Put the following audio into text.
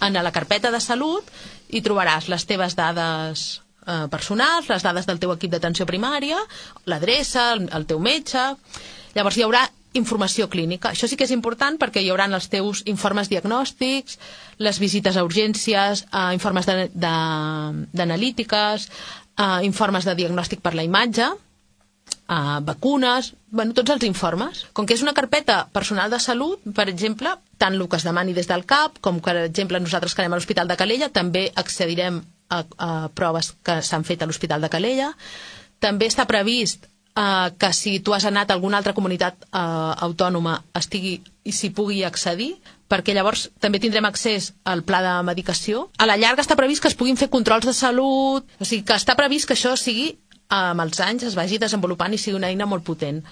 En la carpeta de salut hi trobaràs les teves dades personals, les dades del teu equip d'atenció primària, l'adreça, el teu metge. Llavors hi haurà informació clínica. Això sí que és important perquè hi haurà els teus informes diagnòstics, les visites a urgències, informes d'analítiques, informes de diagnòstic per la imatge, vacunes, tots els informes. Com que és una carpeta personal de salut, per exemple, tant el que es demani des del CAP, com per exemple nosaltres que anem a l'Hospital de Calella, també accedirem a proves que s'han fet a l'Hospital de Calella. També està previst que si tu has anat a alguna altra comunitat autònoma i s'hi pugui accedir, perquè llavors també tindrem accés al pla de medicació. A la llarga està previst que es puguin fer controls de salut, o sigui que està previst que això sigui amb els anys es vagi desenvolupant i sigui una eina molt potent.